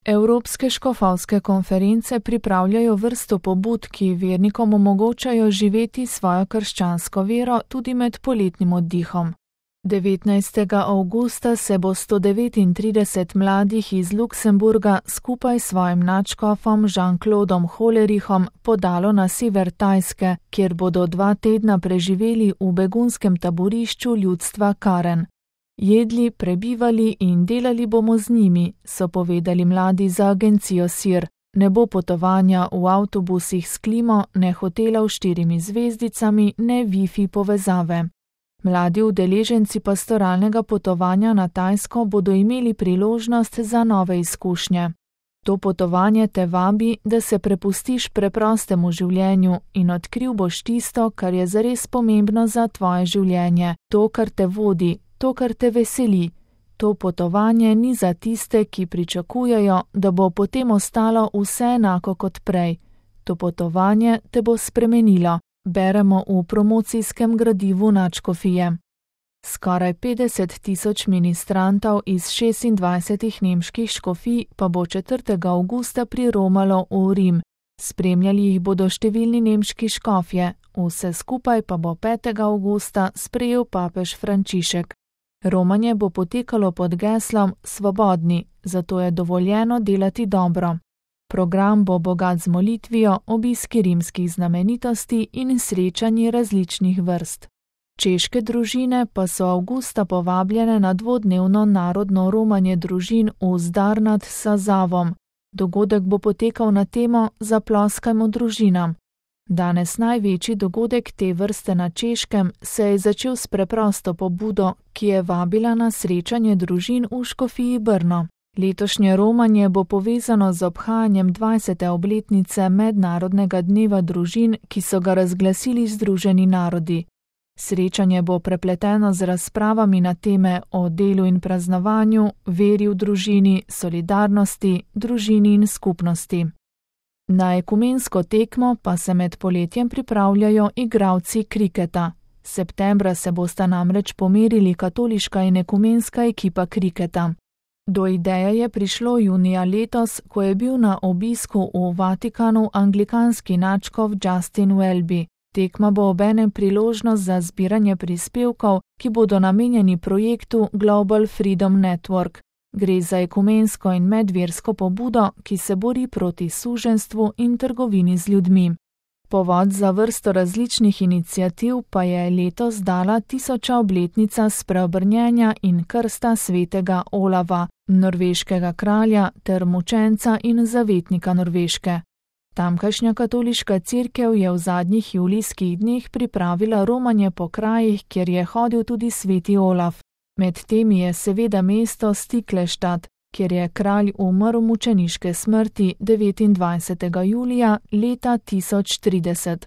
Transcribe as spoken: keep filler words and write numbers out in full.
Evropske škofovske konference pripravljajo vrsto pobud, ki vernikom omogočajo živeti svojo krščansko vero tudi med poletnim oddihom. devetnajstega avgusta se bo sto devetintrideset mladih iz Luksemburga skupaj s svojim nadškofom Jean-Claudom Hollerichom podalo na sever Tajske, kjer bodo dva tedna preživeli v begunskem taborišču ljudstva Karen. Jedli, prebivali in delali bomo z njimi, so povedali mladi za agencijo S I R. Ne bo potovanja v avtobusih s klimo, ne hotelov s štirimi zvezdicami, ne Wi-Fi povezave. Mladi udeleženci pastoralnega potovanja na Tajsko bodo imeli priložnost za nove izkušnje. To potovanje te vabi, da se prepustiš preprostemu življenju in odkril boš tisto, kar je zares pomembno za tvoje življenje, to, kar te vodi, to, kar te veseli. To potovanje ni za tiste, ki pričakujejo, da bo potem ostalo vse enako kot prej. To potovanje te bo spremenilo, beremo v promocijskem gradivu nadškofije. Skoraj petdeset tisoč ministrantov iz šestindvajsetih nemških škofij pa bo četrtega avgusta priromalo v Rim. Spremljali jih bodo številni nemški škofje, vse skupaj pa bo petega avgusta sprejel papež Frančišek. Romanje bo potekalo pod geslom Svobodni, zato je dovoljeno delati dobro. Program bo bogat z molitvijo, obiski rimskih znamenitosti in srečanji različnih vrst. Češke družine pa so avgusta povabljene na dvodnevno narodno romanje družin v Zdar nad Sazavom. Dogodek bo potekal na temo Zaploskajmo družinam. Danes največji dogodek te vrste na Češkem se je začel s preprosto pobudo, ki je vabila na srečanje družin v škofiji Brno. Letošnje romanje bo povezano z obhajanjem dvajsete obletnice Mednarodnega dneva družin, ki so ga razglasili Združeni narodi. Srečanje bo prepleteno z razpravami na teme o delu in praznovanju, veri v družini, solidarnosti, družini in skupnosti. Na ekumensko tekmo pa se med poletjem pripravljajo igralci kriketa. Septembra se bosta namreč pomerili katoliška in ekumenska ekipa kriketa. Do ideje je prišlo junija letos, ko je bil na obisku v Vatikanu anglikanski nadškof Justin Welby. Tekma bo obenem priložnost za zbiranje prispevkov, ki bodo namenjeni projektu Global Freedom Network. Gre za ekumensko in medversko pobudo, ki se bori proti suženjstvu in trgovini z ljudmi. Povod za vrsto različnih iniciativ pa je letos dala tisoča obletnica spreobrnjenja in krsta svetega Olava, norveškega kralja ter mučenca in zavetnika Norveške. Tamkajšnja katoliška cerkev je v zadnjih julijskih dneh pripravila romanje po krajih, kjer je hodil tudi sveti Olaf. Med temi je seveda mesto Stiklestad, kjer je kralj umrl mučeniške smrti devetindvajsetega julija leta tisoč trideset.